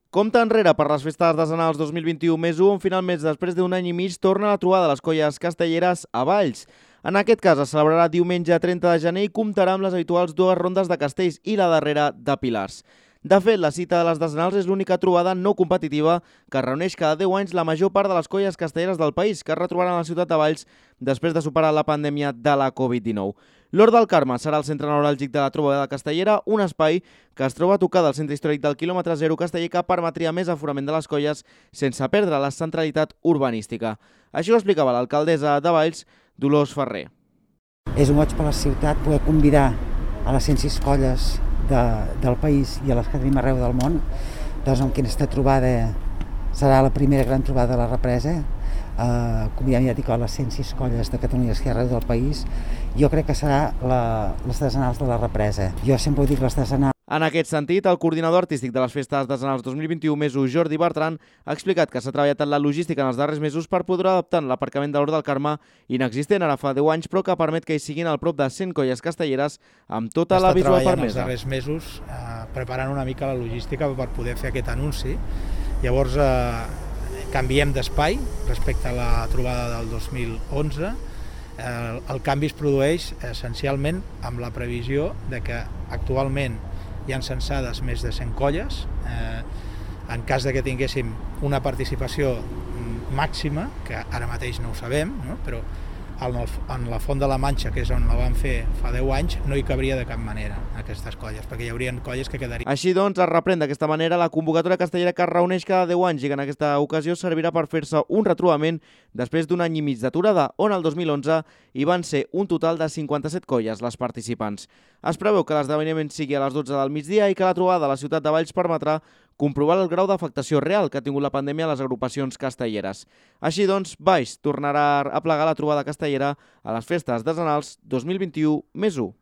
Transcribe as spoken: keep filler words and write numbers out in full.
Compte enrere per les festes artesanals dos mil vint-i-u més u, on finalment, després d'un any i mig, torna la trobada de les colles castelleres a Valls. En aquest cas es celebrarà diumenge trenta de gener i comptarà amb les habituals dues rondes de castells i la darrera de pilars. De fet, la cita de les artesanals és l'única trobada no competitiva que reuneix cada deu anys la major part de les colles castelleres del país, que es retrobaran a la ciutat de Valls després de superar la pandèmia de la Covid dinou. L'Hort del Carme serà el centre neuràlgic de la trobada castellera, un espai que es troba tocat al centre històric del quilòmetre zero casteller que permetria més aforament de les colles sense perdre la centralitat urbanística. Així ho explicava l'alcaldessa de Valls, Dolors Ferrer. És un goig per la ciutat poder convidar a les cent sis colles de, del país i a les que tenim arreu del món, doncs amb aquesta trobada serà la primera gran trobada de la represa. Uh, convidem ja dic a les cent sis colles de Catalunya i arreu del país. Jo crec que serà la, les artesanals de la represa. Jo sempre ho dic, les artesanals. En aquest sentit, el coordinador artístic de les festes artesanals dos mil vint-i-u més u, Jordi Bertran, ha explicat que s'ha treballat en la logística en els darrers mesos per poder adaptar l'aparcament de l'Hort del Carme, inexistent ara fa deu anys, però que permet que hi siguin al prop de cent colles castelleres amb tota la visual permesa. Els darrers mesos eh, preparant una mica la logística per poder fer aquest anunci. Llavors, eh, canviem d'espai respecte a la trobada del dos mil onze. El, el canvi es produeix essencialment amb la previsió de que actualment hi ha censades més de cent colles. Eh, en cas de que tinguéssim una participació màxima, que ara mateix no ho sabem, no? Però en, el, en la Font de la Manxa, que és on la vam fer fa deu anys, no hi cabria de cap manera aquestes colles, perquè hi haurien colles que quedarien. Així doncs, es reprèn d'aquesta manera la convocatòria castellera que es reuneix cada deu anys i que en aquesta ocasió servirà per fer-se un retrobament després d'un any i mig d'aturada, on el dos mil onze hi van ser un total de cinquanta-set colles les participants. Es preveu que l'esdeveniment sigui a les dotze del migdia i que la trobada a la ciutat de Valls permetrà comprovar el grau d'afectació real que ha tingut la pandèmia a les agrupacions castelleres. Així doncs, Valls tornarà a plegar la trobada castellera a les festes artesanals dos mil vint-i-u més u.